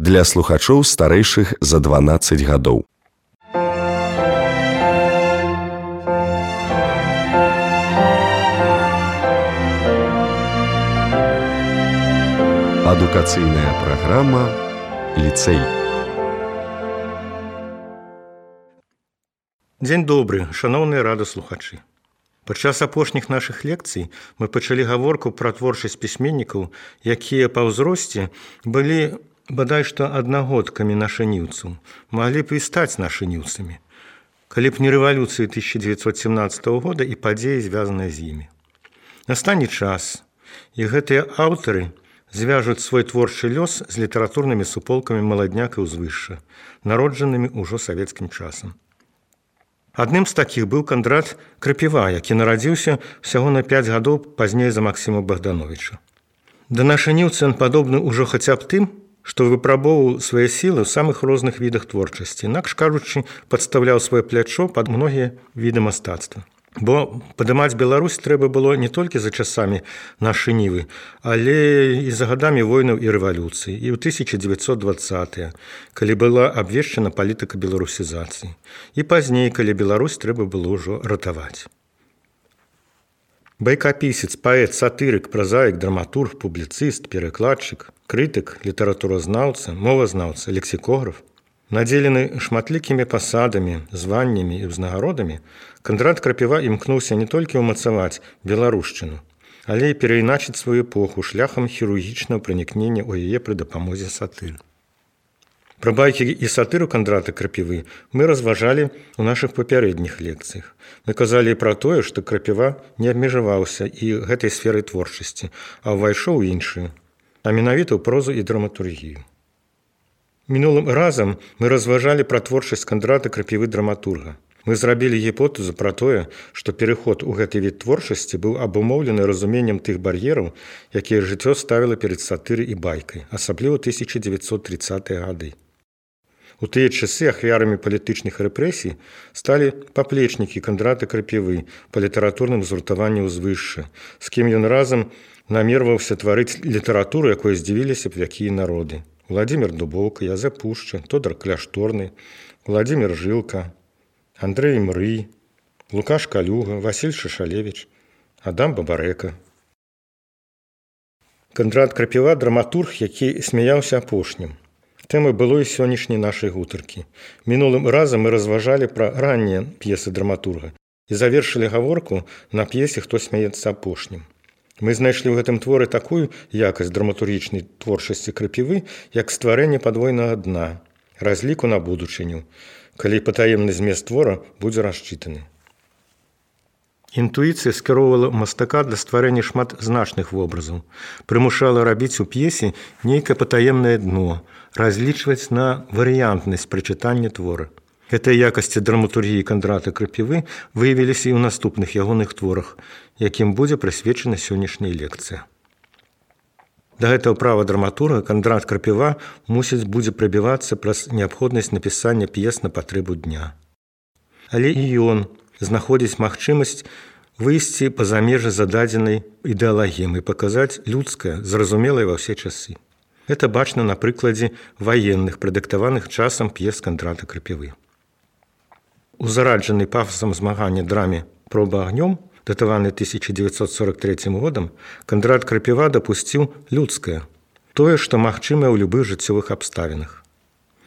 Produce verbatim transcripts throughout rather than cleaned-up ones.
для слухачоў старэйшых за дванаццаць гадоў. Адукацыйная праграма «Ліцэй». Дзень добры, шаноўныя радыёслухачы. Падчас апошніх нашых лекцый мы пачалі гаворку пра творчасць пісьменнікаў, якія па ўзросце былі бадай што аднагодкамі нашаніўцаў, маглі б і стаць нашаніўцамі, калі б не рэвалюцыі тысяча дзевяцьсот семнаццатага года і падзеі, звязаныя з імі. Настане час, і гэтыя аўтары звяжуць свой творчы лёс з літаратурнымі суполкамі маладняк і ўзвышша, народжанымі ўжо савецкім часам. Адным з такіх быў Кандрат Крапіва, які нарадзіўся ўсяго на пяць гадоў пазней за Максіма Богдановича. Да нашаніўцы ён падобны ўжо хаця б тым, што выпрабоўваў свае сілы ў самых розных відах творчасці, інакш кажучы, падстаўляў сваё плячо пад многія віды мастацтва. Бо падымаць Беларусь трэба было не толькі за часамі нашай нівы, але і за гадамі войнаў і рэвалюцыі, і ў тысяча дзевяцьсот дваццатыя, калі была абвешчана палітыка беларусізацыі, і пазней, калі Беларусь трэба было ўжо ратаваць. Байкапісец, паэт, сатырык, празаік, драматург, публіцыст, перакладчык, крытык, літаратуразнаўца, мовазнаўца, лексікограф, надзелены шматлікімі пасадамі, званнямі і ўзнагародамі, Кандрат Крапіва імкнуўся не толькі ўмацаваць беларушчыну, але і перайначыць сваю эпоху шляхам хірургічнага пранікнення ў яе пры дапамозе сатыр. Пра байкі і сатыру Кандрата Крапівы мы разважалі ў нашых папярэдніх лекцыях. Мы казалі пра тое, што Крапіва не абмежаваўся і гэтай сферай творчасці, а ўвайшоў у іншую, а менавіта ў прозу і драматургію. Мінулым разам мы разважалі пра творчасць Кандрата Крапівы драматурга. Мы зрабілі гіпотэзу пра тое, што пераход у гэты від творчасці быў абумоўлены разуменнем тых бар'ераў, якія жыццё ставіла перад сатырай і байкай, асабліва тысяча дзевяцьсот трыццатыя гады. У тыя часы ахвярамі палітычных рэпрэсій сталі паплечнікі Кандрата Крапівы па літаратурным згуртаванні ўзвышша, з кім ён разам намерваўся тварыць літаратуру, якой здзівіліся б якія народы. Владзімір Дубоўка, Язэп Пушча, Тодар Кляшторны, Владзімір Жылка, Андрэй Мрый, Лукаш Калюга, Васіль Шашалевіч, Адам Бабарэка. Кандрат Крапіва – драматург, які смяяўся апошнім. Тэмай было і сённяшняй нашай гутаркі. Мінулым разам мы разважалі пра раннія п'есы драматурга і завершылі гаворку на п'есе «Хто смяецца апошнім». Мы знайшлі ў гэтым творы такую якасць драматургічнай творчасці Крапівы, як стварэнне падвойнага дна, разліку на будучыню, калі патаемны змест твора будзе расчытаны. Інтуіцыя скіроўвала мастака для стварэння шматзначных вобразаў, прымушала рабіць у п'есе нейкае патаемнае дно, разлічваць на варыянтнасць прачытання твора. Гэтыя якасці драматургіі Кандрата Крапівы выявіліся і ў наступных ягоных творах, якім будзе прысвечана сённяшняя лекцыя. Да гэтага права драматурга Кандрат Крапіва мусіць будзе прабівацца праз неабходнасць напісання п'ес на патрэбу дня. Але і ён знаходзіць магчымасць выйсці па-за межы зададзенай ідэалагемы і паказаць людскае, зразумелае ва ўсе часы. Гэта бачна на прыкладзе ваенных, прадыктаваных часам п'ес Кандрата Крапівы. У зараджанай пафасам змагання драме «Проба агнём», датаваны тысяча дзевяцьсот сорок трэцім годам, Кандрат Крапіва дапусціў людскае, тое, што магчымае ў любых жыццёвых абставінах.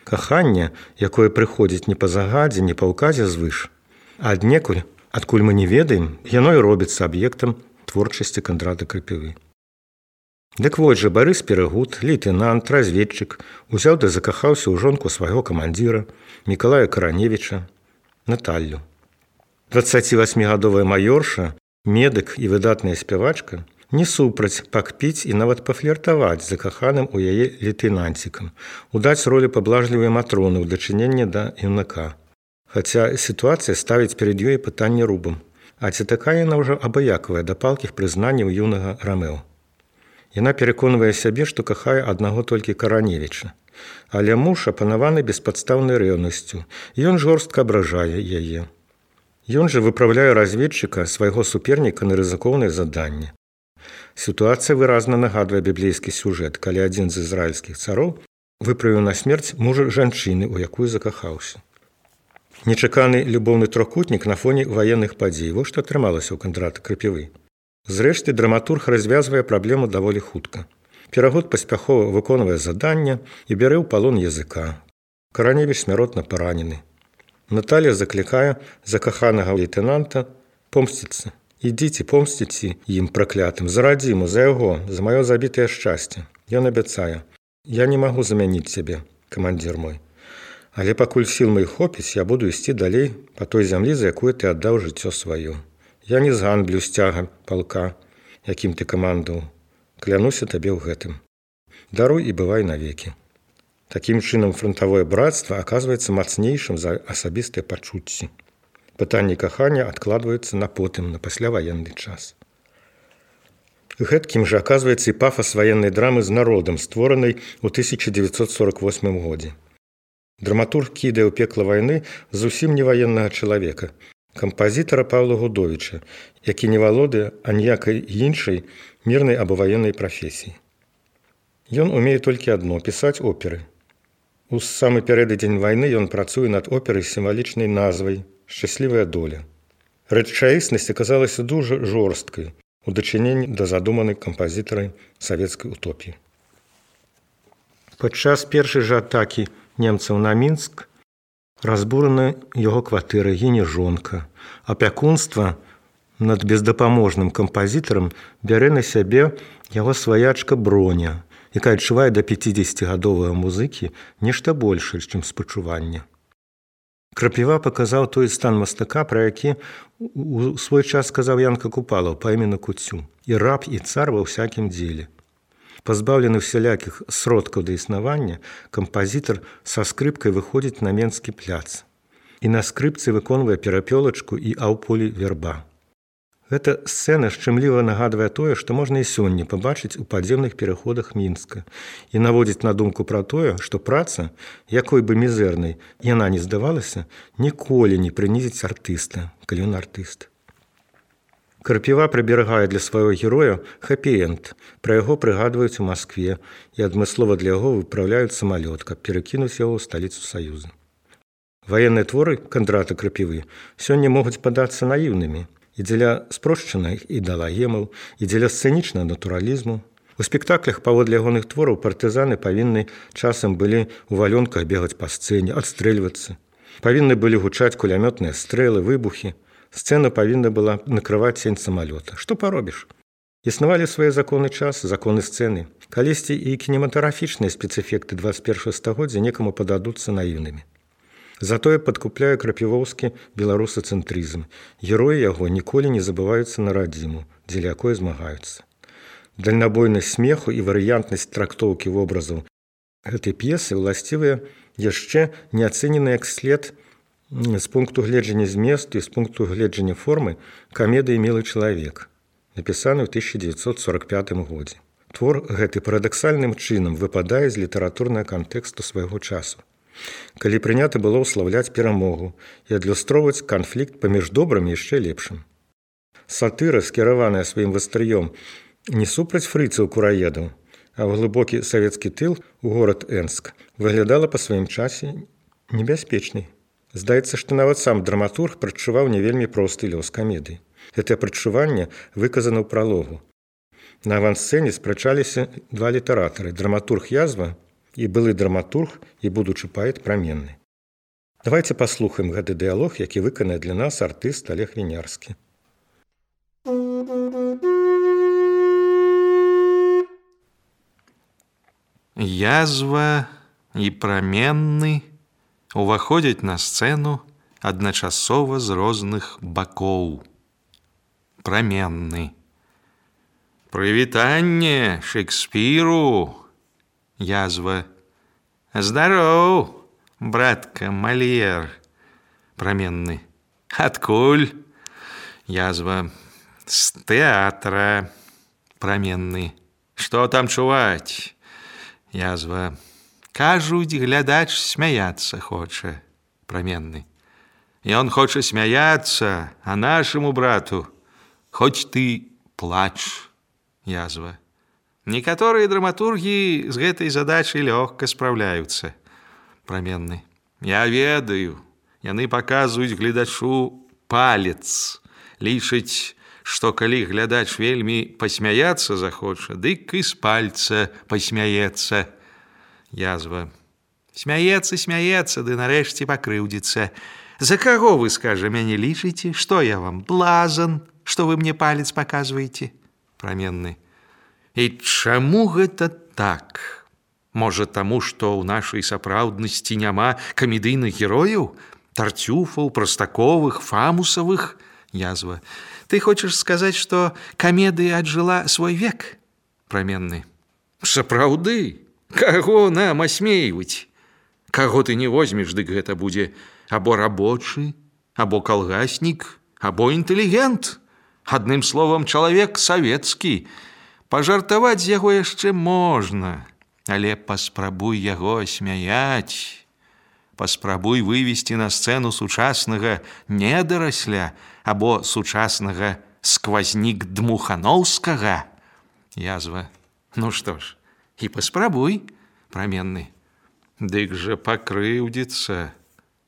Каханне, якое прыходзіць не па загадзе, не па ўказе звыш, а аднекуль, адкуль мы не ведаем, яно і робіцца аб'ектам творчасці Кандрата Крапівы. Дык вось жа Барыс Перагуд, лейтэнант, разведчык, узяў ды закахаўся ў жонку свайго камандзіра, Мікалая Караневіча, Наталлю. дваццацівасьмігадовая маёрша, медык і выдатная спявачка не супраць пакпіць і нават пафліртаваць з закаханым у яе лейтэнанцікам, удаць ролі паблажлівай матроны ў дачыненні да юнака. Хаця сітуацыя ставіць перад ёй пытанне рубам, а ці такая яна ўжо абыякавая да палкіх прызнанняў юнага Рамео. Яна пераконвае сябе, што кахае аднаго толькі Караневіча, але муж апанаваны беспадстаўнай рэўнасцю, і ён жорстка абражае яе. Ён жа выпраўляе разведчыка, свайго суперніка на рызыкоўнае заданне. Сітуацыя выразна нагадвае біблейскі сюжэт, калі адзін з ізраільскіх цароў выправіў на смерць мужа жанчыны, у якую закахаўся. Нечаканы любоўны трохкутнік на фоне ваенных падзей. Вось што атрымалася ў Кандрата Крапівы. Зрэшты, драматург развязвае праблему даволі хутка. Перагод паспяхова выконвае заданне і бярэ ў палон языка. Караневіч смяротна паранены. Наталля заклікае закаханага лейтэнанта помсціцца. Ідзіце, помсціце ім праклятым, за радзіму, за яго, за маё забітае шчасце. Ён абяцае: я не магу замяніць цябе, камандзір мой. Але пакуль сіл моих хопіць, я буду ісці далей па той зямлі, за якую ты аддаў жыццё сваё. Я не зганблю сцяга палка, якім ты камандаў. Клянуся табе ў гэтым. Даруй і бывай навекі. Такім чынам фронтавое братства аказваецца мацнейшым за асабістыя пачуцці. Пытанні кахання адкладваюцца на потым, на пасляваенны час. Гэткім жа аказваецца і пафас ваеннай драмы з народам, створанай у тысяча дзевяцьсот сорок восьмым годзе. Драматург кідае ў пекла вайны зусім не ваеннага чалавека, кампазітара Паўла Гудовіча, які не валодае аніякай іншай мірнай або ваеннай прафесіі. Ён умее толькі адно – пісаць оперы. У самы пярэдадзень вайны ён працуе над операй з сімвалічнай назвай «Шчаслівая доля». Рэчаіснасць аказалася дужа жорсткай у дачыненні да задуманай кампазітарай савецкай утопіі. Падчас першай жа атакі немцаў на Мінск разбурана яго кватэра, гіне жонка. Апякунства над бездапаможным кампазітарам бярэ на сябе яго сваячка Броня, якая адчувае да пяцідзесяцігадовага музыкі нешта большае, чым спачуванне. Крапіва паказаў той стан мастака, пра які у свой час сказаў Янка Купалаў па імені Куцю: і раб, і цар ва ўсякім дзеле. Пазбаўлены всялякіх сродкаў да існавання, кампазітар са скрыпкай выходзіць на Менскі пляц і на скрыпцы выконвае перапёлачку і аўполі верба. Гэта сцэна шчымліва нагадвае тое, што можна і сёння пабачыць у падземных пераходах Мінска і наводзіць на думку пра тое, што праца, якой бы мізэрнай яна не здавалася, ніколі не прынізіць артыста, калі ён артыст. Крапіва прыберагае для свайго героя хэпі-энд. Пра яго прыгадваюць у Маскве і адмыслова для яго выпраўляюць самалёт, каб перакінуць яго ў сталіцу Саюза. Ваенныя творы Кандрата Крапівы сёння могуць падацца наіўнымі і дзеля спрошчаных ідэалагемаў, і дзеля сцэнічнага натуралізму. У спектаклях паводле ягоных твораў партызаны павінны часам былі ў валёнках бегаць па сцэне, адстрэльвацца. Павінны былі гучаць кулямётныя стрэлы, выбухі. Сцэна павінна была накрываць сень самалёта. Што паробіш? Існавалі свае законы часу, законы сцэны. Калісьці і кінематаграфічныя спецэфекты дваццаць першага стагоддзя некаму пададуцца наіўнымі. Затое падкупляе крапівоўскі беларусацэнтрызм. Героі яго ніколі не забываюцца на радзіму, дзеля якой змагаюцца. Дальнабойнасць смеху і варыянтнасць трактоўкі вобразаў гэтай п'есы ўласцівыя яшчэ не ацэнены як след з пункту гледжання зместу і з пункту гледжання формы камедыі «Мілы чалавек», напісаны ў тысяча дзевяцьсот сорок пятым годзе. Твор гэты парадаксальным чынам выпадае з літаратурнага кантэксту свайго часу, калі прынята было ўслаўляць перамогу і адлюстроўваць канфлікт паміж добрым і яшчэ лепшым. Сатыра, скіраваная сваім вастрыём не супраць фрыцаў-кураедаў, а ў глыбокі савецкі тыл у горад Энск, выглядала па сваім часе небяспечнай. Здаецца, што нават сам драматург прадчуваў не вельмі просты лёс камедыі. Гэтае прадчуванне выказана ў пралогу. На авансцэне спрачаліся два літаратары – драматург Язва і былы драматург і будучы паэт Праменны. Давайце паслухаем гэты дыялог, які выканае для нас артыст Олег Вінярскі. Язва і Праменны уваходзяць на сцэну адначасова з розных бакоў. Праменны. Прывітанне Шекспіру. Язва. Здароў, братка Мальер. Праменны. Адкуль? Язва. З тэатра. Праменны. Што там чуваць? Язва. Кажуць, глядач смяяцца хоча. Праменны. Ён хоча смяяцца, а нашаму брату хоць ты плач. Язва. Некаторыя драматургі з гэтай задачай лёгка спраўляюцца. Праменны. Я ведаю, яны паказваюць гледачу палец, лічаць, што калі глядач вельмі пасмяяцца захоча, дык і з пальца пасмяецца. Язва. Смяецца, смяецца, ды нарэшце пакрыўдзіцца. За каго вы, скажа, мяне лічыце? Што я вам, блазан, што вы мне палец паказваеце? Праменны. І чаму гэта так? Можа, таму, што ў нашай сапраўднасці няма камедыйных герояў? Тарцюфаў, Простаковых, Фамусавых? Язва. Ты хочаш сказаць, што камедыя аджыла свой век? Праменны. Сапраўды? Каго нам асмейваць? Каго ты не возьмеш, дык гэта будзе або рабочы, або калгаснік, або інтэлігент. Адным словам, чалавек савецкі. Пажартаваць з яго яшчэ можна, але паспрабуй яго асмяяць. Паспрабуй вывесці на сцэну сучаснага недарасля або сучаснага сквазнік Дмухановскага. Язва. Ну што ж, і паспрабуй, праменны. Дык жа пакрыўдзіцца.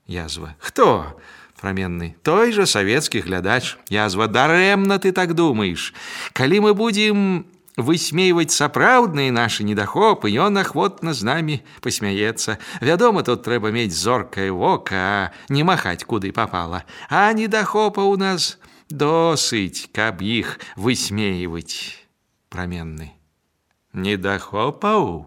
Язва. Хто? Праменны. Той жа савецкі глядач. Язва. Дарэмна ты так думаеш. Калі мы будзем высмейваць сапраўдныя нашы недахопы, ён ахвотна з намі пасмяецца. Вядома, тут трэба мець зоркае вока, а не махаць куды папала. А недахопа ў нас досыць, каб іх высмейваць. Праменны. Недахопаў?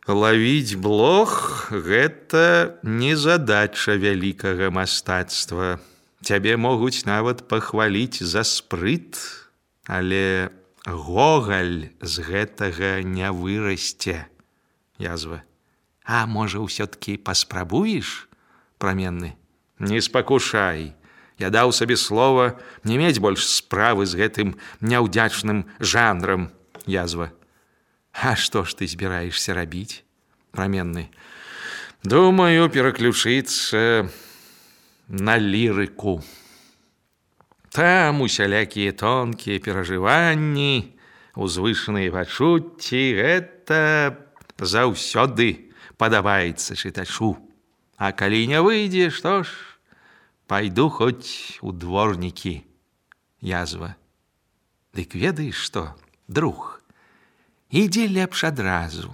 Лавіць блох – гэта не задача вялікага мастацтва. Цябе могуць нават пахваліць за спрыт, але Гогаль з гэтага не вырасце. Язва. А можа, ўсё-ткі паспрабуеш? Праменны. Не спакушай. Я даў сабе слова не мець больш справы з гэтым няўдзячным жанрам. Язва. А што ж ты збіраешся рабіць? Праменны. Думаю, пераключыцца на лірыку. Там усялякія тонкія перажыванні, узвышаныя пачуцці, гэта заўсёды падабаецца чытачу. А калі не выйдзе, што ж, пайду хоць у дворнікі. Язва. Дык ведаеш што, друг, ідзі лепш адразу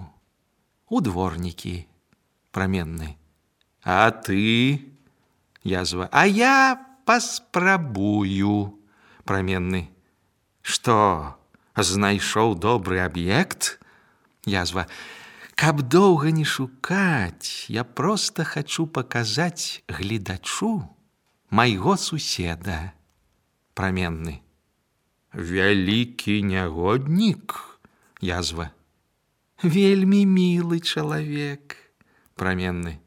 у дворнікі. Праменны. А ты? Язва. А я паспрабую. Праменны. Што, знайшоў добры аб'ект? Язва. Каб доўга не шукаць, я проста хачу паказаць гледачу майго суседа. Праменны. Вялікі нягоднік? Язва. Вельмі мілы чалавек. Праменны.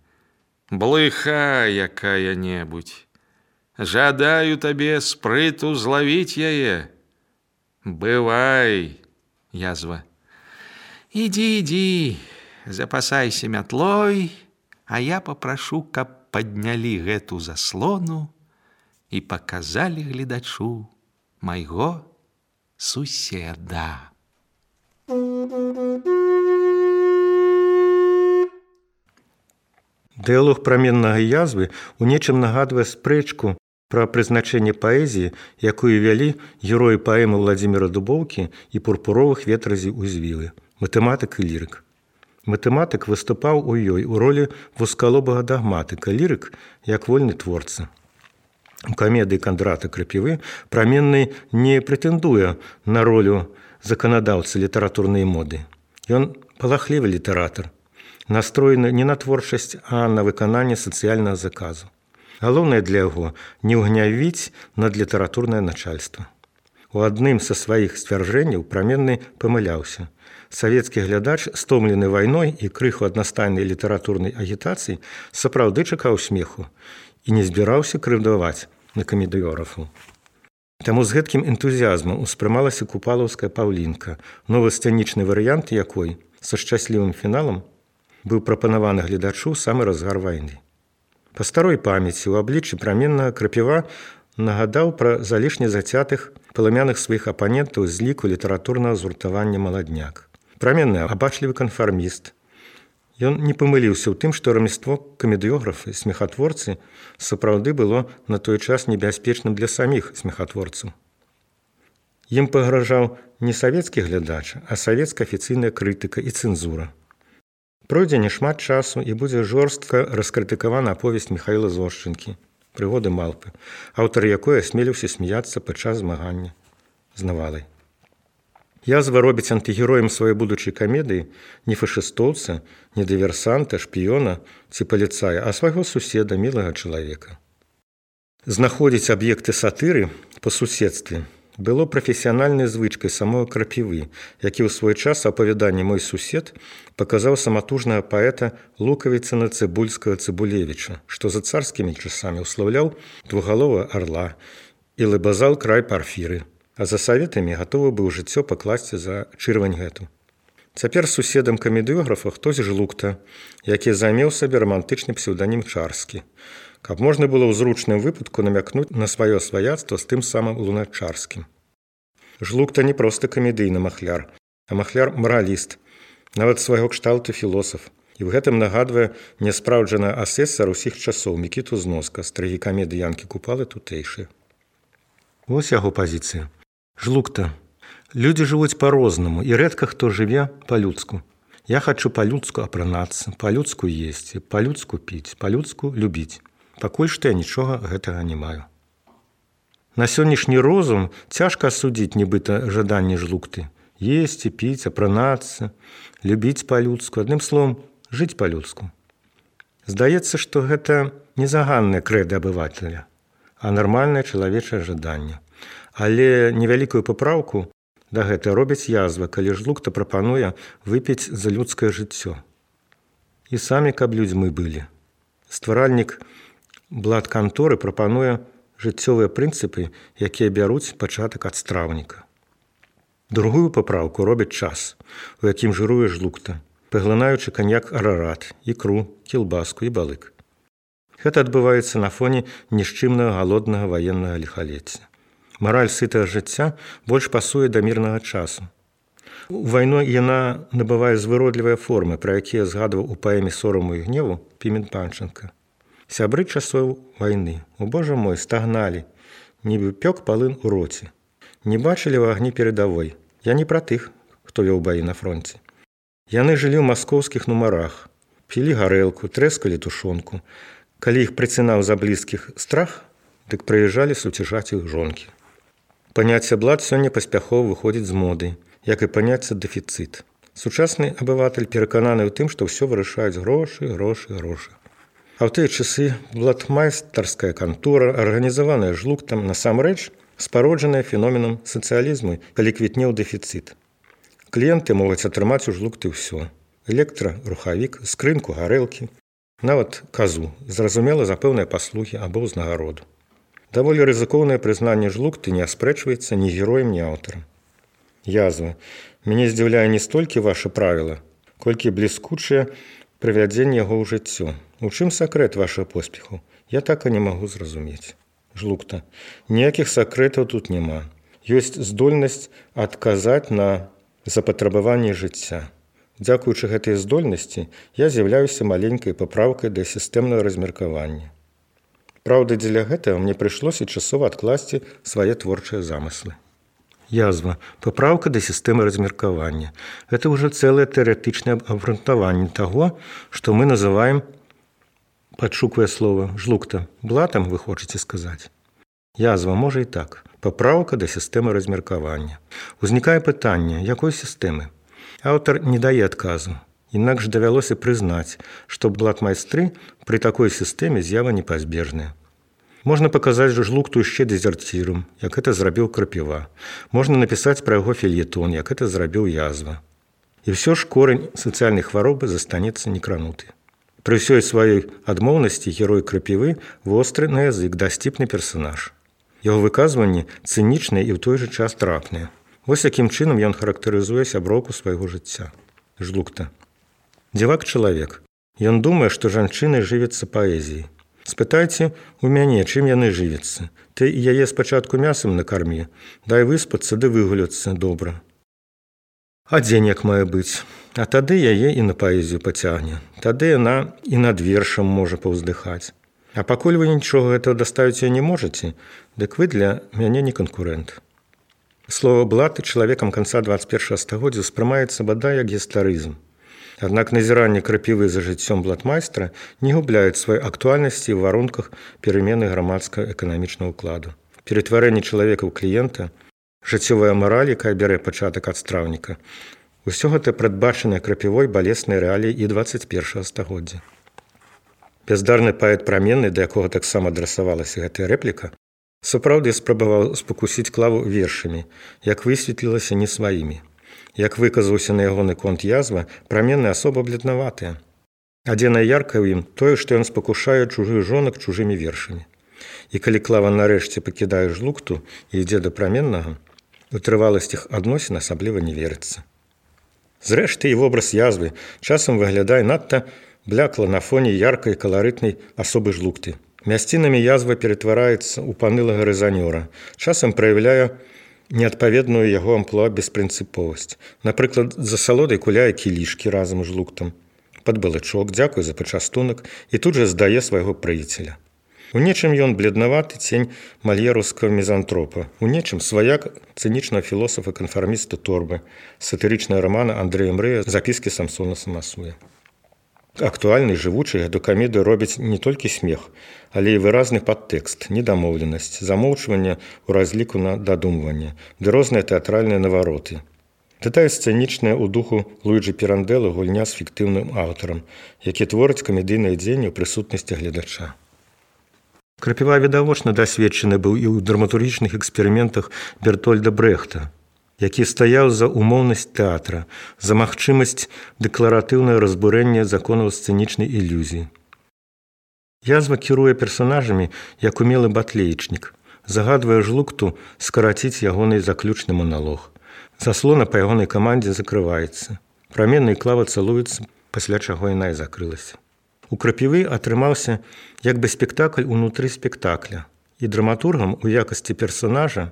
Блыха якая-небудзь. Жадаю табе спрыту злавіць яе. Бывай. Язва. Ідзі, ідзі, запасайся мятлой, а я папрашу, каб паднялі гэту заслону і паказалі гледачу майго суседа. Дыялог праменнага язвы у нечым нагадвае спрэчку пра прызначэнне паэзіі, якую вялі героі паэмы Владзіміра Дубоўкі і пурпуровых ветразей узвілы, матэматык і лірык. Матэматык выступаў у ёй у ролі вузкалобага дагматыка, лірык як вольны творца. У камедыі Кандрата Крапівы праменны не прэтэндуе на ролю заканадаўцы літаратурнай моды. Ён палахлівы літаратар, настроены не на творчасць, а на выкананне сацыяльнага заказу. Галоўнае для яго не ўгнявіць над літаратурнае начальства. У адным са сваіх сцвярджэнняў праменны памыляўся. Савецкі глядач, стомлены вайной і крыху аднастайнай літаратурнай агітацыі, сапраўды чакаў смеху і не збіраўся крыўдаваць на камедыёграфаў. Таму з гэткім энтузіязмам успрымалася купалаўская паўлінка, новы сцэнічны варыянт якой са шчаслівым фіналам быў прапанаваны гледачу самы разгар вайны. Па старой памяці ў абліччы праменнага Крапіва нагадаў пра залішне зацятых паламяных сваіх апанентаў з ліку літаратурнага згуртавання «Маладняк». Праменны абачлівы канфарміст. Ён не памыліўся ў тым, што рамяство камедыёграфы, смехатворцы сапраўды было на той час небяспечным для саміх смехатворцаў. Ім пагражаў не савецкі глядач, а савецкая афіцыйная крытыка і цэнзура. Пройдзе няшмат часу і будзе жорстка раскрытыкавана аповесць Міхаіла Зошчынкі «Прыгоды малпы», аўтар якой асмеліўся смяяцца падчас змагання з навалай. Язва робіць антыгероем сваёй будучай камедыі не фашыстоўца, не дыверсанта, шпіёна ці паліцая, а свайго суседа, мілага чалавека. Знаходзіць аб'екты сатыры па суседстве было прафесіянальнай звычкай самого Крапівы, які ў свой час апавяданне «Мой сусед» паказаў саматужнага паэта Лукавіцына Цыбульскага Цыбулевіча, што за царскімі часамі ўслаўляў двугаловага арла і лыбазал край Парфіры, а за саветамі гатовы быў жыццё пакласці за чырвань гэту. Цяпер суседам камедыёграфа хтось жлукта, які займеў сабе рамантычны псеўданім Чарскі, каб можна было ў зручным выпадку намякнуць на сваё сваяцтва з тым самым Луначарскім. Жлукта не проста камедыйны махляр, а махляр-мараліст, нават свайго кшталту філосаф. І ў гэтым нагадвае няспраўджаны асэсар усіх часоў Мікіту Зноска з трагікамедыі Янкі Купалы тутэйшыя. Вось яго пазіцыя. Жлукта. Людзі жывуць па-рознаму, і рэдка хто жыве па-людску. Я хачу па-людску апранацца, па-людску есці, па-людску піць, па-людску любіць. Пакуль што я нічога гэтага не маю. На сённяшні розум цяжка асудзіць нібыта жаданні жлукты. Есці, піць, апранацца, любіць па-людску, адным словам, жыць па-людску. Здаецца, што гэта не заганнае крэда абывателя, а нармальнае чалавечае жаданне. Але невялікую папраўку да гэта робіць язва, калі жлукта прапануе выпіць за людскае жыццё. І самі, каб людзьмі былі. Стваральнік блат-канторы прапануе жыццёвыя прынцыпы, якія бяруць пачатак ад страўніка. Другую папраўку робіць час, у якім жыруе жлукта, паглынаючы каньяк арарат, ікру, кілбаску і балык. Гэта адбываецца на фоне нішчымнага галоднага ваеннага ліхалецця. Мараль сытага жыцця больш пасуе да мірнага часу. У вайну яна набывае звыродлівыя формы, пра якія згадваў у паэме «Сораму і гневу» Пімен Панченка. Сябры часоў вайны, о божа мой, стагналі, нібы пёк палын у роце. Не бачылі ў агні перадавой. Я не пра тых, хто вёў баі на фронце. Яны жылі ў маскоўскіх нумарах, пілі гарэлку, трэскалі тушонку. Калі іх прыцінаў за блізкіх страх, дык прыязджалі суцяжаць іх жонкі. Паняцце блат сёння паспяхова выходзіць з моды, як і паняцце дэфіцыт. Сучасны абыватель перакананы ў тым, што ўсё вырашаюць грошы, грошы, грошы. А ў тыя часы блатмайстарская кантора, арганізаваная жлуктам, насамрэч спароджаная феноменам сацыялізму, калі квітнеў дэфіцыт. Кліенты могуць атрымаць у жлукты ўсё. Электра, рухавік, скрынку, гарэлкі, нават казу, зразумела за пэўныя паслугі або ўзнагароду. Даволі рызыкоўнае прызнанне жлукты не аспрэчваецца ні героем, ні аўтарам. Язва. Мяне здзіўляе не столькі ваша правіла, колькі бліскучае прывядзенне яго ў жыццё. У чым сакрэт вашага поспеху? Я так і не магу зразумець. Жлукта. Ніякіх сакрэтаў тут няма. Ёсць здольнасць адказаць на запатрабаванне жыцця. Дзякуючы гэтай здольнасці я з'яўляюся маленькай папраўкай да сістэмнага размеркавання. Праўда, дзеля гэтага мне прыйшлося часова адкласці свае творчыя замыслы. Язва. Папраўка да сістэмы размеркавання. Гэта ўжо цэлае тэарэтычнае абгрунтаванне таго, што мы называем, падшуквае слова, жлукта. Блатам вы хочаце сказаць? Язва, можа і так. Папраўка да сістэмы размеркавання. Узнікае пытанне, якой сістэмы? Аўтар не дае адказу. Інакш давялося прызнаць, што блатмайстры пры такой сістэме з'ява непазбежная. Можна паказаць жлукту яшчэ дэзерцірам, як гэта зрабіў Крапіва. Можна напісаць пра яго фельетон, як гэта зрабіў язва. І ўсё ж корань сацыяльнай хваробы застанецца некрануты. Пры ўсёй сваёй адмоўнасці герой Крапівы востры на язык, дасціпны персанаж. Яго выказванні цынічныя і ў той жа час трапныя. Вось якім чынам ён характарызуе сяброўку свайго жыцця. Жлукта. Дзівак чалавек. Ён думае, што жанчыны жывяцца паэзіяй. Спытайце у мяне, чым яны жывяцца. Ты і яе спачатку мясам накармі, дай выспацца ды выгуляцца добра. А дзень як мае быць? А тады яе і на паэзію пацягне. Тады яна і над вершам можа паўздыхаць. А пакуль вы нічога гэтага даставіць не можаце, дык вы для мяне не канкурэнт. Слова «блат» чалавекам канца дваццаць першага стагоддзя ўспрымаецца бадай як гістарызм. Аднак назіранне крапівы за жыццём блатмайстра не губляюць сваёй актуальнасці ў варунках перамены грамадска-эканамічнага ўкладу. Ператварэнне чалавека ў кліента, жыццёвая мараль, якая бярэ пачатак ад страўніка, усё гэта прадбачанае крапівой балеснай рэаліі і дваццаць першага стагоддзя. Бяздарны паэт праменны, да якога таксама адрасавалася гэтая рэпліка, сапраўды спрабаваў спакусіць клаву вершамі, як высветлілася, не сваімі. Як выказаўся на ягоны конт язва, праменны асоба бледнаватая. Адзінае яркае ў ім тое, што ён спакушае чужых жонак чужымі вершамі. І калі клава нарэшце пакідае жлукту і ідзе да праменнага, у трываласць іх адносін асабліва не верыцца. Зрэшты, і вобраз язвы часам выглядае надта блякла на фоне яркай каларытнай асобы жлукты. Мясцінамі язва ператвараецца ў панылага рэзанёра, часам праяўляе неадпаведную яго амплуа беспрынцыповасць. Напрыклад, за салодай куляе кілішкі разам з жлуктам, пад балычок, дзякуй за пачастунак і тут жа здае свайго прыяцеля. У нечым ён бледнаваты цень мальераўскага мізантропа, у нечым сваяк цынічнага філосафа-канфарміста Торбы, сатырычная рамана Андрэя Мрэя «Запіскі Самсона Самасуя». Актуальнай жывучай гэту камедыю робіць не толькі смех, але і выразны падтэкст, недамоўленасць, замоўчванне ў разліку на дадумванне, ды розныя тэатральныя навароты. Дэталь сцэнічная ў духу Луіджы Пірандэла гульня з фіктыўным аўтарам, які творыць камедыйнае дзеянне ў прысутнасці гледача. Крапіва відавочна дасведчаны быў і ў драматургічных эксперыментах Бертольда Брэхта, які стаяў за умоўнасць тэатра, за магчымасць дэкларатыўнае разбурэння законаў сцэнічнай ілюзіі. Язва кіруе персанажамі, як умелы батлеечнік, загадвае жлукту скараціць ягоны заключны маналог. Заслона па ягонай камандзе закрываецца. Праменны і клава цалуюцца, пасля чаго яна і закрылася. У крапівы атрымаўся як бы спектакль унутры спектакля, і драматургам у якасці персанажа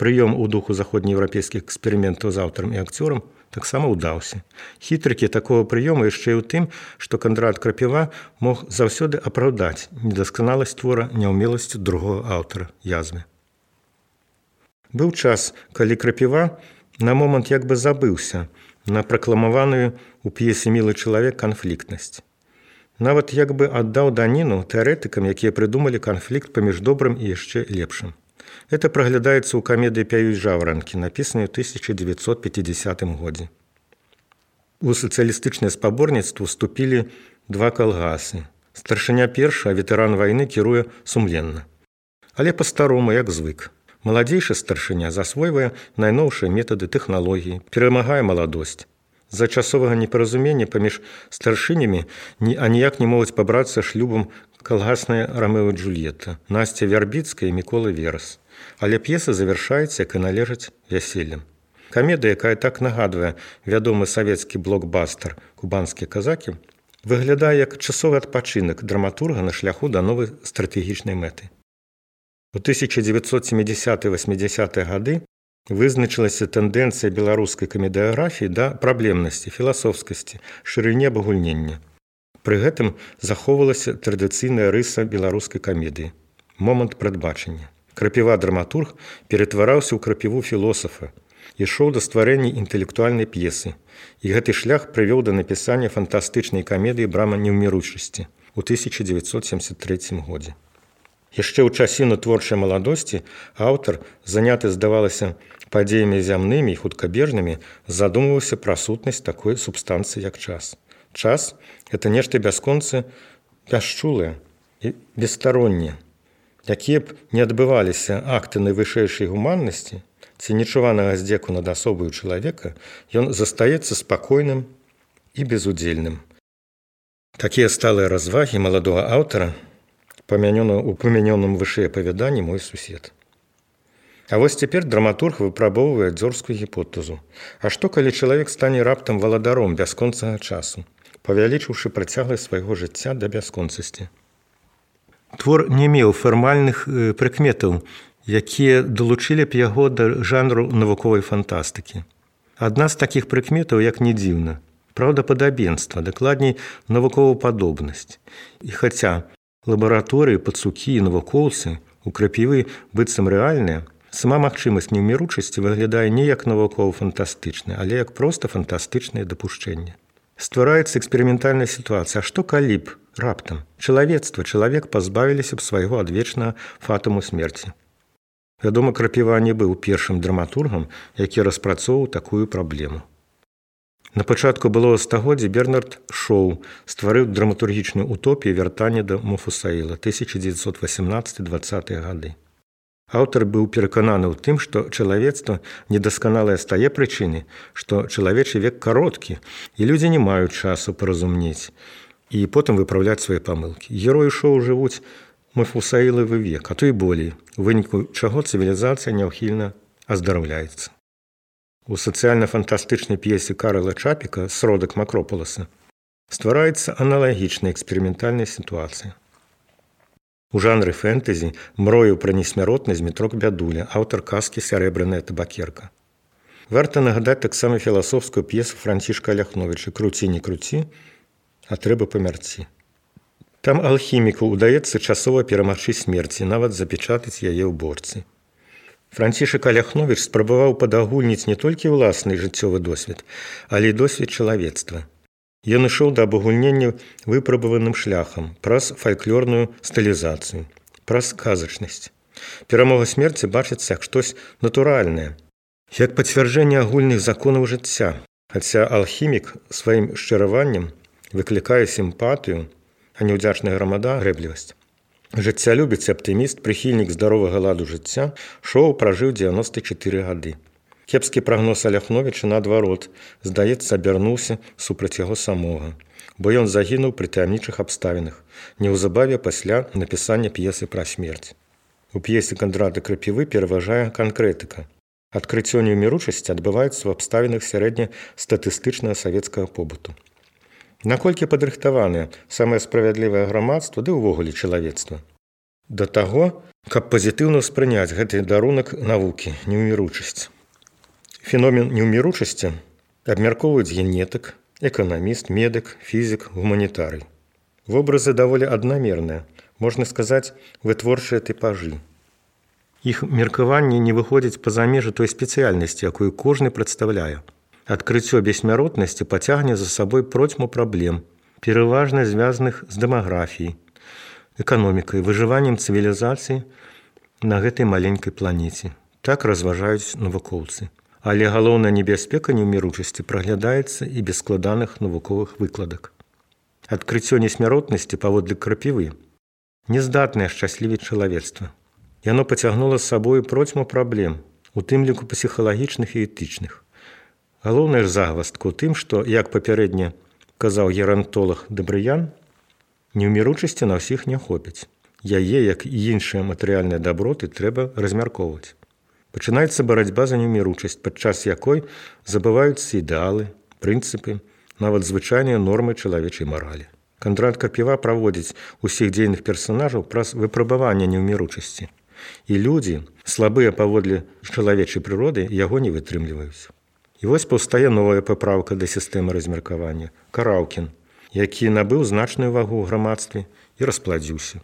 прыём у духу заходнееўрапейскіх эксперыментаў з аўтарам і акцёрам таксама ўдаўся. Хітрыкі такога прыёму яшчэ і ў тым, што Кандрат Крапіва мог заўсёды апраўдаць недасканаласць твора няўмеласцю другога аўтара язвы. Быў час, калі Крапіва на момант як бы забыўся на пракламаваную ў п'есе «Мілы чалавек» канфліктнасць. Нават як бы аддаў даніну тэарэтыкам, якія прыдумалі канфлікт паміж добрым і яшчэ лепшым. Это праглядаецца ў камедыі «Пяюць жаўранкі», напісанай у тысяча дзевяцьсот пяцідзясятым годзе. У сацыялістычнае спаборніцтва ўступілі два калгасы. Старшыня першы, а ветэран вайны кіруе сумленна. Але па-старому, як звык. Маладзейшы старшыня засвойвае найноўшыя метады тэхналогіі, перамагае маладосць. З-за часовага непаразумення паміж старшынямі аніяк не могуць пабрацца шлюбам калгасная Рамео і Джульетта, Насця Вярбіцкая і Мікола Верас. Але п'еса завяршаецца, як і належыць, вяселлем. Камедыя, якая так нагадвае вядомы савецкі блокбастер «Кубанскія казакі», выглядае як часовы адпачынак драматурга на шляху да новай стратэгічнай мэты. У тысяча дзевяцьсот сямідзясятыя-васьмідзясятыя гады вызначылася тэндэнцыя беларускай камедыяграфіі да праблемнасці, філасофскасці, шырыні абагульнення. Пры гэтым захоўвалася традыцыйная рыса беларускай камедыі – момант прадбачання. Крапіва-драматург ператвараўся ў крапіву філосафа, ішоў да стварэння інтэлектуальнай п'есы, і гэты шлях прывёў да напісання фантастычнай камедыі «Брама неўміручасці» у тысяча дзевяцьсот семьдесят трэцім годзе. Яшчэ ў часіну творчай маладосці аўтар, заняты, здавалася, падзеямі зямнымі і хуткабежнымі, задумваўся пра сутнасць такой субстанцыі, як час. Час – гэта нешта бясконца бясчулае і бесстаронне. Якія б не адбываліся акты найвышэйшай гуманнасці ці нечуванага здзеку над асобаю чалавека, ён застаецца спакойным і безудзельным. Такія сталыя развагі маладога аўтара у памянёным вышэй апавяданні «Мой сусед». А вось цяпер драматург выпрабоўвае дзёрзкую гіпотэзу. А што, калі чалавек стане раптам валадаром бясконцага часу, павялічыўшы працягласць свайго жыцця да бясконцасці? Твор не меў фармальных прыкметаў, якія далучылі б яго да жанру навуковай фантастыкі. Адна з такіх прыкметаў, як не дзіўна, праўдападабенства, дакладней навуковападобнасць. І хаця лабараторыі, пацукі і навукоўцы у крапівы быццам рэальныя, сама магчымасць неўміручасці выглядае не як навукова-фантастычная, але як проста фантастычнае дапушчэнне. Ствараецца эксперыментальная сітуацыя. А што калі б раптам чалавецтва, чалавек пазбавіліся б свайго адвечнага фатуму смерці? Вядома, Крапіва не быў першым драматургам, які распрацоўваў такую праблему. На пачатку былога стагоддзя Бернард Шоу стварыў драматургічную утопію вяртання да Муфусаіла тысяча дзевяцьсот васямнаццаты - дваццатыя гады. Аўтар быў перакананы ў тым, што чалавецтва недасканалае з тае прычыны, што чалавечы век кароткі, і людзі не маюць часу паразумнець і потым выпраўляць свае памылкі. Героі Шоу жывуць Муфусаілавы век, а то і болей, у выніку чаго цывілізацыя няўхільна аздараўляецца. У сацыяльна-фантастычнай п'есе Карла Чапіка «Сродак Макропаласа» ствараецца аналагічная эксперыментальная сітуацыя. У жанры фэнтэзі мроіў пра несмяротнасць Змітрок Бядуля, аўтар казкі «Сярэбраная табакерка». Варта нагадаць таксама філасофскую п'есу Францішка Ляхновіча «Круці, не круці, а трэба памярці». Там алхіміку ўдаецца часова перамагчы смерці, нават запечатаць яе ў борцы. Францішак Ляхновіч спрабаваў падагульніць не толькі ўласны жыццёвы досвед, але і досвед чалавецтва. Ён ішоў да абагульнення выпрабаваным шляхам, праз фальклорную стылізацыю, праз казачнасць. Перамога смерці бачыцца як штось натуральнае, як пацвярджэнне агульных законаў жыцця, хаця алхімік сваім шчыраваннем выклікае сімпатыю, а неўдзячная грамада – грэблівасць. Жыццялюбец і аптыміст, прыхільнік здаровага ладу жыцця, Шоу пражыў дзевяноста чатыры гады. Кепскі прагноз Ляхновіча, наадварот, здаецца, абярнуўся супраць яго самога, бо ён загінуў пры таямнічых абставінах, неўзабаве пасля напісання п'есы пра смерць. У п'есе Кандрата Крапівы пераважае канкрэтыка. Адкрыццё неўміручасці адбываецца ў абставінах сярэднестатыстычнага савецкага побыту. Наколькі падрыхтаванае самае справядлівае грамадства ды ўвогуле чалавецтва да таго, каб пазітыўна ўспрыняць гэты дарунак навукі, неўміручасць. Феномен неўміручасці абмяркоўваюць генетык, эканаміст, медык, фізік, гуманітарый. Вобразы даволі аднамерныя, можна сказаць, вытворчыя тыпажы. Іх меркаванне не выходзіць па-за межы той спецыяльнасці, якую кожны прадстаўляе. Адкрыццё бессмяротнасці пацягне за сабой процьму праблем, пераважна звязаных з дэмаграфіяй, эканомікай, выжываннем цывілізацыі на гэтай маленькай планеце. Так разважаюць навукоўцы. Але галоўная небяспека неўміручасці праглядаецца і без складаных навуковых выкладак. Адкрыццё несмяротнасці паводле Крапівы нездатнае ашчаслівіць чалавецтва. Яно пацягнула з сабою процьму праблем, у тым ліку псіхалагічных і этычных. Галоўная ж загваздка ў тым, што, як папярэдне казаў герантолаг Дабрыян, неўміручасці на ўсіх не хопіць. Яе, як і іншыя матэрыяльныя даброты, трэба размяркоўваць. Пачынаецца барацьба за неўміручасць, падчас якой забываюцца ідэалы, прынцыпы, нават звычайныя нормы чалавечай маралі. Кандрат Крапіва праводзіць усіх дзейных персанажаў праз выпрабаванне неўміручасці. І людзі, слабыя паводле чалавечай прыроды, яго не вытрымліваюць. І вось паўстае новая папраўка да сістэмы размеркавання – Караўкін, які набыў значную вагу ў грамадстве і распладзіўся.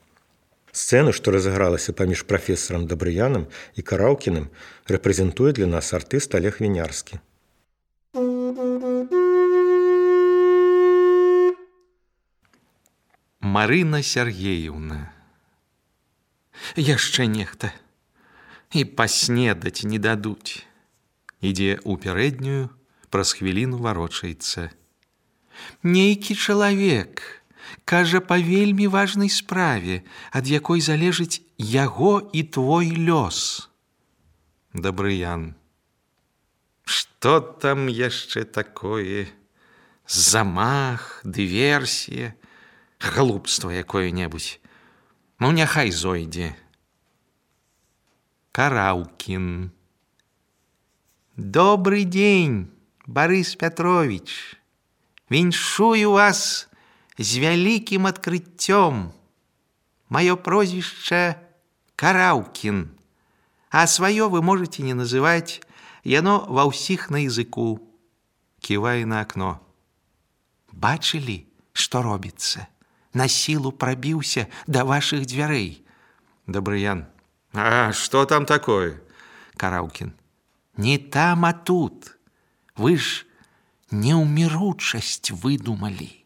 Сцэну, што разыгралася паміж прафесарам Дабрыянам і Караўкіным, рэпрэзентуе для нас артыст Олег Вінярскі. Марына Сергеевна. Яшчэ нехта. І паснедаць не дадуць. Ідзе ў пярэднюю, праз хвіліну варочаецца. Нейкі чалавек кажа па вельмі важнай справе, ад якой залежыць яго і твой лёс. Дабрыян. Што там яшчэ такое? Замах, дыверсія, глупства якое-небудзь. Ну, няхай зойдзе. Караўкін. Добрый день, Борис Петрович. Віншую вас з вялікім адкрыццём. Мое прозвище Караўкін, а свое вы можете не называть, яно ва ўсіх на языку. Кивая на окно. Бачили, что робится? На силу пробился до ваших дверей. Добрыян. А что там такое? Караўкін. Не там, а тут. Вы ж неуміручасць выдумали.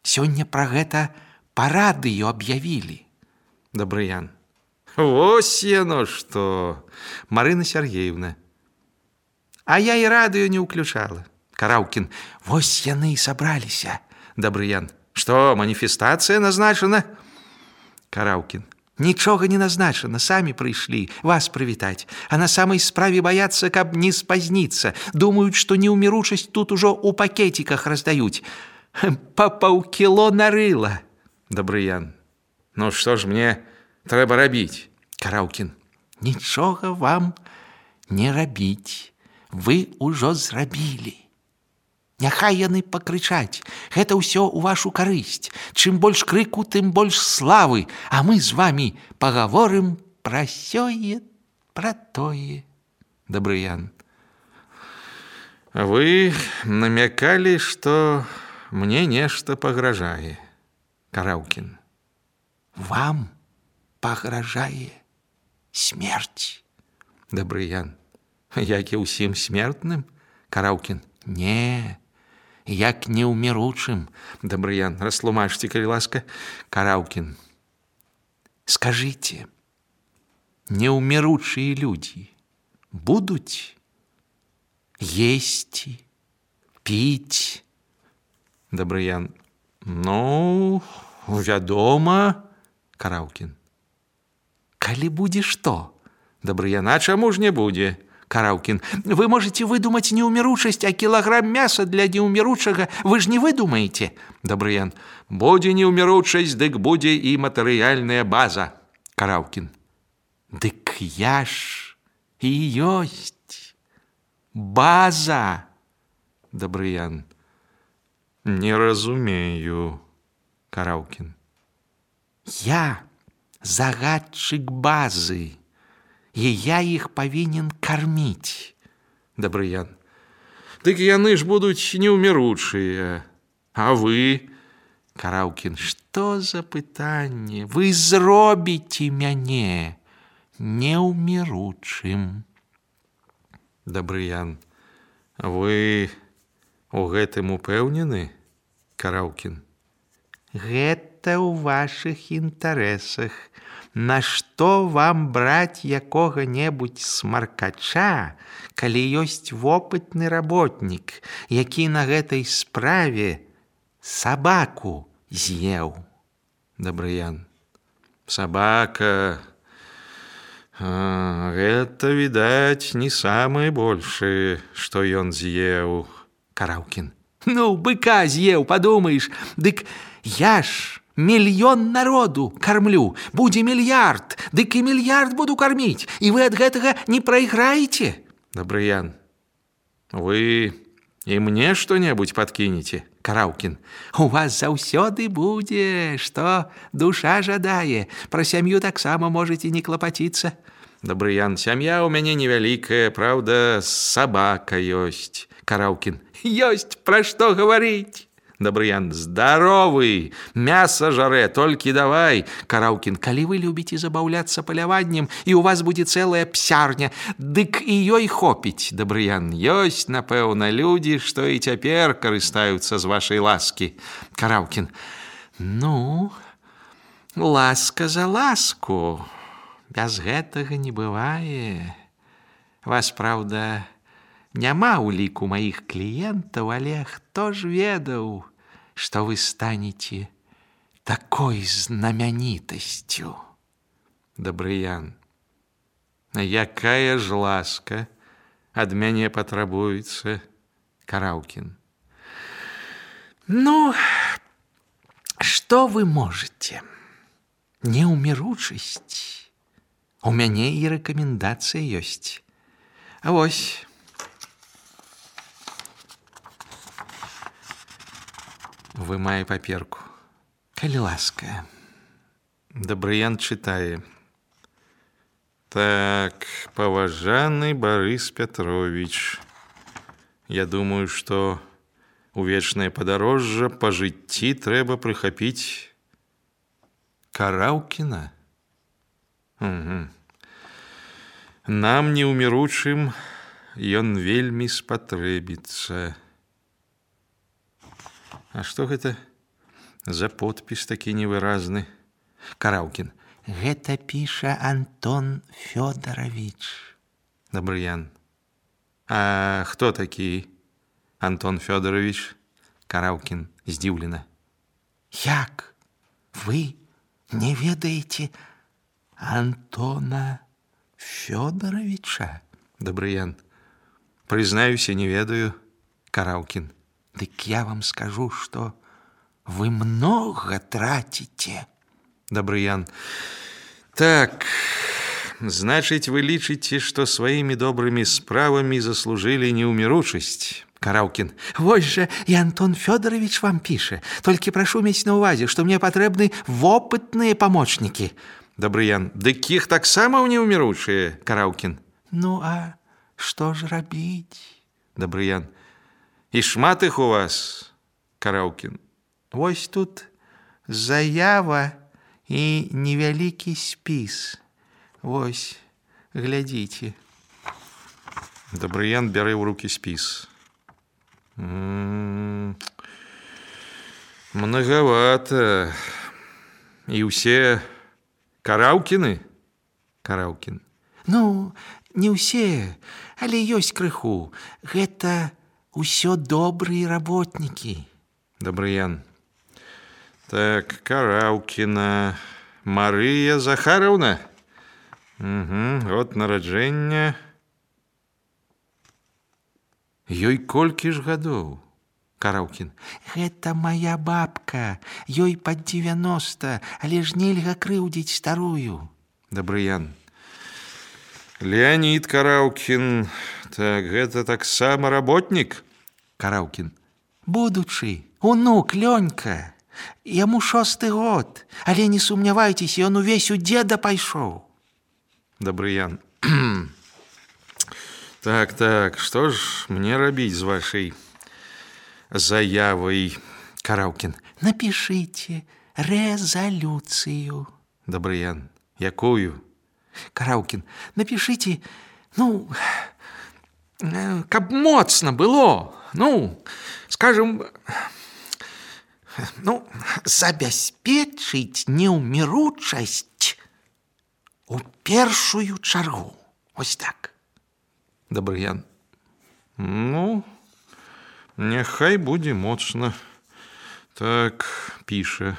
Сёння про гэта по радыё объявили. Добрыян. Вось яно что. Марина Сергеевна. А я и радыё не уключала. Караўкін. Вось яны и собраліся. Добрыян. Что, манифестация назначена? Караўкін. Ничего не назначено, сами пришли вас привитать. А на самой справе боятся, каб не спозниться. Думают, что неумиручесть тут уже у пакетиках раздают. По паўкіло нарыла. Добрыян. Ну что ж мне трэба рабіць? Караўкін. Ничего вам не рабіць. Вы ўжо зрабілі. Няхай яны пакрычаць. Гэта ўсё ў вашу карысць. Чым больш крыку, тым больш славы. А мы з вами пагаворым пра сёе, пра тое. Добрыян. Вы намекали, что мне нешта пагражае. Караўкін. Вам пагражае смерць. Добрыян. Як і ўсім смертным? Караўкін. Не, як неуміручым. Добрыян. Растлумачьте, калі ласка. Караўкін. Скажите, неумиручие люди будут есть, пить? Добрыян. Ну, вядома. Караўкін. Калі будзе што? Добрыян. А чаму ж не будзе? Караўкін. Вы можете выдумать неумиручесть, а килограмм мяса для неумиручага вы ж не выдумаете. Добрыян. Будзе неумиручесть, дык будзе и матэрыяльная база. Караўкін. Дык я ж и ёсць база. Добрыян. Не разумею. Караўкін. Я загадчык базы. И я их повинен кормить. Добрыян. Дык яны ж будуць неуміручыя. А вы? Караўкін. Что за пытанне? Вы зробіце мяне неуміручым. Добрыян. Вы у гэтым упэўнены? Караўкін. Гэта ў ваших інтарэсах. На что вам брать якога-небудзь смаркача, калі ёсць вопытны работнік, які на гэтай справе сабаку з'еў? Добрыян. Собака. А, гэта, відаць, не самае большае, што ён з'еў. Караўкін. Ну, быка з'еў, падумаеш. Дык я ж мільён народу кормлю, будзе мільярд, дык і мільярд буду кормить, і вы ад гэтага не прайграеце. Добрыян. Вы і мне што-небудзь подкинете? Караўкін. У вас заўсёды будзе, што душа жадае. Пра сям'ю таксама можете не клапаціцца. Добрыян. Сям'я ў мяне невялікая, праўда, сабака ёсць. Караўкін. Ёсць пра што гаварыць. Добрыян. Здоровый, мясо жаре, толькі давай. Караўкін. Калі вы любіце забаўляцца паляваннем, і у вас будзе цэлая псярня, дык і ёй хопіць. Добрыян. Ёсць, напэўна, людзі, што і цяпер карыстаюцца з вашай ласкі. Караўкін. Ну, ласка за ласку. Без гэтага не бывае. Вас, праўда, няма ў ліку маіх кліентаў, але хто ж ведаў, што вы станете такой знаменитостью? Добрыян. Якая ж ласка ад мяне патрабуецца? Караўкін. Ну, што вы можете? Неуміручасць. У мяне і рэкамендацыя ёсць. А вось. Вымае паперку. Калі ласка, Дабрыян читае. Так, поважанный Борис Петрович, я думаю, что у вечное подорожжа по житті трэба прыхапіць Караўкіна. Угу. Нам, неуміручым, ён вельмі спатрэбіцца. А што гэта за подпіс такі невыразны? Караўкін. Гэта піша Антон Фёдорович. Дабрыян. А хто такі Антон Фёдорович? Караўкін здзіўлена. Як? Вы не ведаеце Антона Фёдоровича? Дабрыян. Прызнаюся, не ведаю. Караўкін. Дык я вам скажу, что вы много тратите. Дабрыян. Так, значит, вы лічыце, что своими добрыми справами заслужили неуміручасць. Караўкін. Вось же и Антон Фёдорович вам пише. Только прошу иметь на увазе, что мне потребны опытные помощники. Дабрыян. Дык іх таксама неуміручыя. Караўкін. Ну, а что ж рабіць? Дабрыян. И шмат их у вас? Караўкін. Вось тут заява и невялікі спіс. Вось, глядзіце. Дабрыян бярэ ў руки спіс. М-м-м. Многовато. И усе Караўкіны? Караўкін. Ну, не ўсе, але ёсць крыху. Гэта ўсё добрые работники. Дабрыян. Так, Караўкіна. Марыя Захараўна. Угу, год нараджэння. Ёй колькі ж гадоў? Караўкін. Гэта моя бабка. Ёй под девяносто, але ж нельга крыўдзіць старую. Дабрыян. Леонид Караўкін. Так, гэта таксама работнік? Караўкін. Будучы, унук Лёнька. Яму шосты год, але не сумнявайцеся, ён увесь у деда пайшоў. Дабрыян. Так, так, што ж мне рабіць з вашай заявай? Караўкін. Напишите резолюцию. Дабрыян. Якую? Караўкін. Напишите, ну, каб моцна было, ну, скажем, ну, забяспечыць неўміручасць у першую чаргу. Ось так. Дабрыян. Ну, няхай будзе моцна. Так, піша.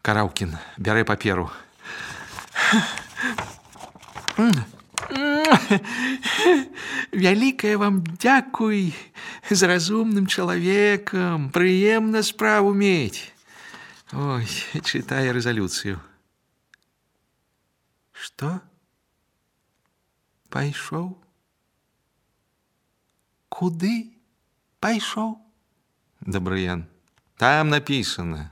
Караўкін бярэ паперу. Вялікае вам дзякуй, з разумным чалавекам, прыемна справу мець. Ой, чытае рэзалюцыю. Што? Пайшоў? Куды пайшоў? Дабрыян. Там написано.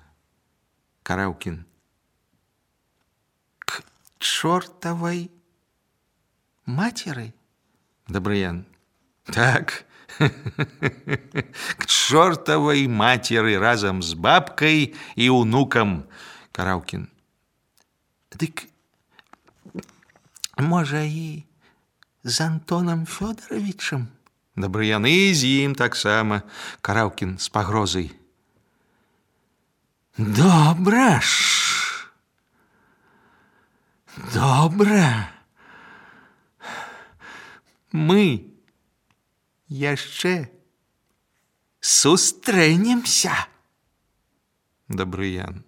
Караўкін. К чортовой матери? Дабрыян. Так. К чортовой матери разом с бабкой и унуком. Караўкін. Дык, можа, і з Антоном Фёдоровичем? Дабрыян. І з ім таксама. Караўкін з пагрозай. Добра ж. Добра. Мы яшчэ сустрэнемся. Дабрыян.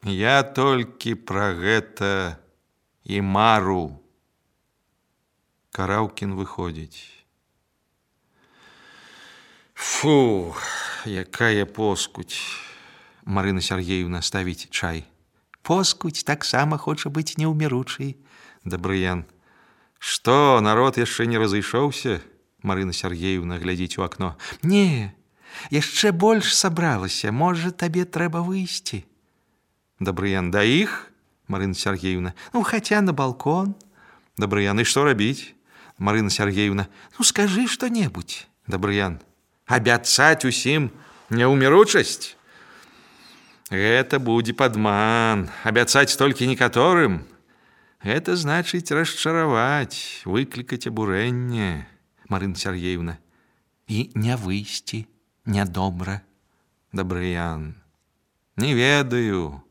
Я толькі пра гэта і мару. Караўкін выходзіць. Фу, якая поскудь. Марына Сергеевна ставіць чай. Поскудь таксама хоча быць неўміручай. Дабрыян. Што, народ яшчэ не разышоўся? Марына Сергеевна глядзіць у акно. Не, яшчэ больш сабралася. Можа, табе трэба выйсці. Добрыян. Да их? Марина Сергеевна. Ну, хотя на балкон. Добрыян. И что робить? Марина Сергеевна. Ну, скажи что-нибудь. Добрыян. Обяцать усім неуміручасць? Гэта будзе падман. Абяцаць толькі некаторым. Это значит расчаровать, выкликать обурение. Марина Сергеевна. И не выйсти, не добра. Добрыян. Не ведаю,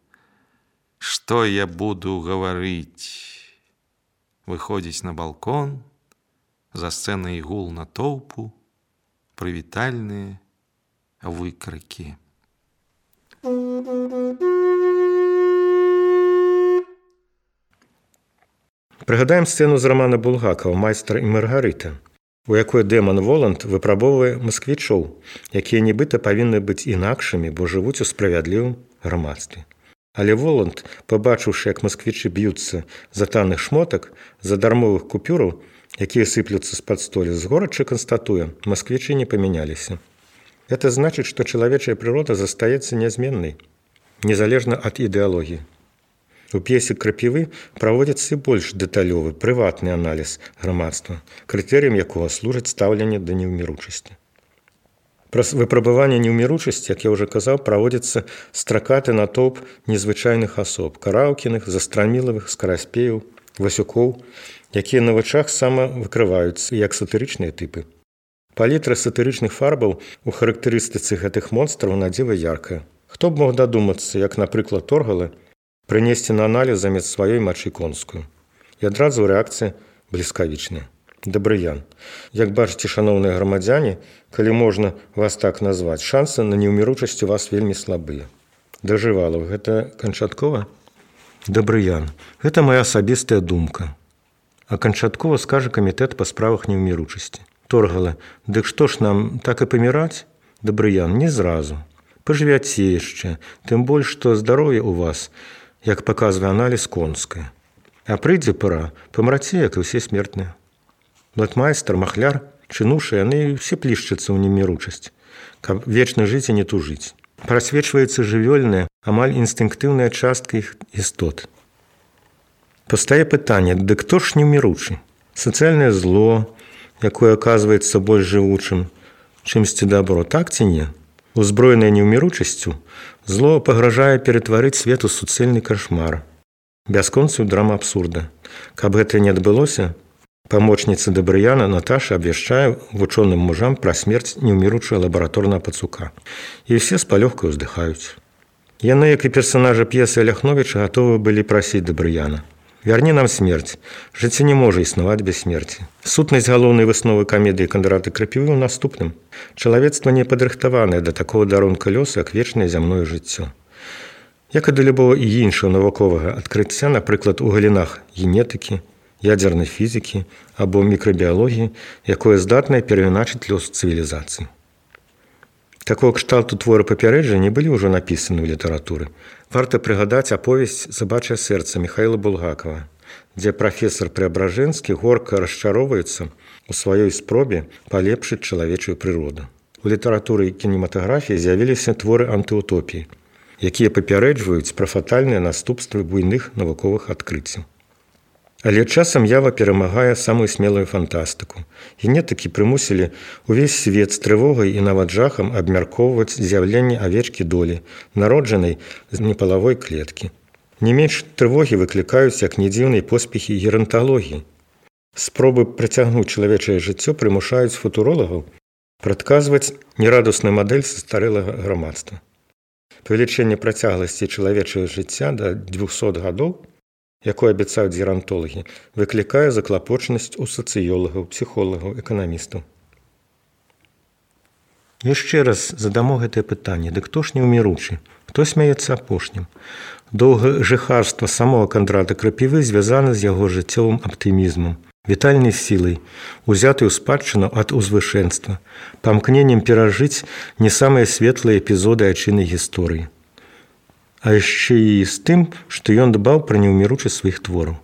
что я буду говорить. Выходить на балкон, за сценой гул на толпу, привитальные выкрики. Прыгадаем сцэну з рамана Булгакова «Майстар і Маргарыта», у якой дэман Воланд выпрабоўвае масквічоў, якія нібыта павінны быць інакшымі, бо жывуць у справядлівым грамадстве. Але Воланд, пабачыўшы, як масквічы б'юцца за танных шмотак, за дармовых купюраў, якія сыплюцца з-пад столі, з горача канстатуе, масквічы не памяняліся. Это значит, что человечая природа застаецца нязменнай, незалежна ад ідэалогіі. У п'есе «Крапівы» праводзіцца і больш дэталёвы, прыватны аналіз грамадства, крытэрыем якога служыць стаўленне да неўміручасці. Праз выпрабаванне неўміручасці, як я ўжо казаў, праводзіцца стракаты натоўп незвычайных асоб, Караўкіных, Застрамілавых, Скараспеяў, Васюкоў, якія на вачах самавыкрываюцца як сатырычныя тыпы. Палітра сатырычных фарбаў у характарыстыцы гэтых монстраў надзіва яркая. Хто б мог дадумацца, як, напрыклад, Торгала, прынесці на аналіз замест сваёй мачы конскую. І адразу рэакцыя бліскавічная. Добрыян. Як бачыце, шаноўныя грамадзяне, калі можна вас так назваць, шансы на неўміручасць у вас вельмі слабыя. Дажывалаў, гэта канчаткова? Добрыян. Гэта моя асабістая думка. А канчаткова скажа камітэт па справах неўміручасці. Торгала. Дык што ж нам, так і паміраць? Добрыян. Не зразу. Пажывяце яшчэ, тым больш, што здароўе ў вас, як паказвае аналіз, конскае. А прыйдзе пара, памраце, як і ўсе смертныя. Блатмайстар, махляр, чынушы, яны ўсе плішчацца ў неміручасць, каб вечна жыць і не тужыць. Прасвечваецца жывёльная, амаль інстынктыўная частка іх істот. Пастае пытанне, дык хто ж неміручы? Сацыяльнае зло, якое аказваецца больш жывучым, чымсьці дабро, так ці не? Узброенае неўміручасцю, зло пагражае ператварыць свет у суцэльны кашмар, бясконцую драму абсурда. Каб гэта не адбылося, памочніца Добрыяна Наташа абвяшчае вучоным мужам пра смерць неўміручага лабараторнага пацука. І ўсе з палёгкай уздыхаюць. Яны, як і персанажы п'есы Аляхновіча, гатовы былі прасіць Добрыяна. Вярні нам смерць. Жыццё не можа існаваць без смерці. Сутнасць галоўнай высновы камедыі Кандрата Крапівы ў наступным. Чалавецтва не падрыхтаванае да такого дарунка лёсу, як вечнае зямное жыццё. Як і да любого і іншага навуковага адкрыцця, напрыклад, у галінах генетыкі, ядзернай фізікі або мікрабіялогіі, якое здатнае перайначыць лёс цывілізацыі. Такого кшталту творы папярэджання былі ўжо напісаны ў літаратуры. Варта прыгадаць аповесць «Сабачае сэрца» Міхаіла Булгакова, дзе прафесор Преабражэнскі горка расчароўваецца у сваёй спробе палепшыць чалавечую прыроду. У літаратуры і кінематаграфіі з'явіліся творы антыутопіі, якія папярэджваюць пра фатальныя наступствы буйных навуковых адкрыццяў. Але часам ява перамагае самую смелую фантастыку. Генетыкі прымусілі ўвесь свет з трывогай і нават жахам абмяркоўваць з'яўленне авечкі долі, народжанай з непалавой клеткі. Не менш трывогі выклікаюць, як не дзіўнай, поспехі геранталогіі. Спробы працягнуць чалавечае жыццё прымушаюць футуролагаў прадказваць нерадусную мадэль састарэлага грамадства. Павелічэнне працягласці чалавечага жыцця да дзвюхсот гадоў, якое абяцаюць герантолагі, выклікае заклапочанасць у сацыёлагаў, псіхолагаў, эканамістаў. Яшчэ раз задамо гэтае пытанне. Дык хто ж неўміручы? Хто смяецца апошнім? Доўгажыхарства самого Кандрата Крапівы звязана з яго жыццёвым аптымізмам, вітальнай сілай, узятай у спадчыну ад узвышэнства, памкненнем перажыць не самыя светлыя эпізоды айчыннай гісторыі. А яшчэ і з тым, што ён дбаў пра неўміручасць сваіх твораў.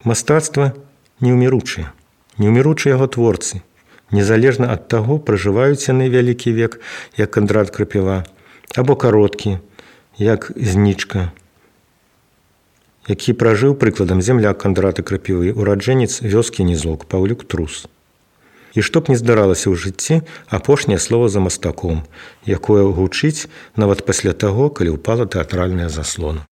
Мастацтва неўміручае, неўміручыя яго творцы, незалежна ад таго, пражываюць яны вялікі век, як Кандрат Крапіва, або кароткі, як знічка, які пражыў прыкладам земляк Кандраты Крапівы, ураджэнец вёскі Нізок Паўлюк Трус. І што б не здаралася ў жыцці, апошняе слова за мастаком, якое гучыць нават пасля таго, калі ўпала тэатральная заслона.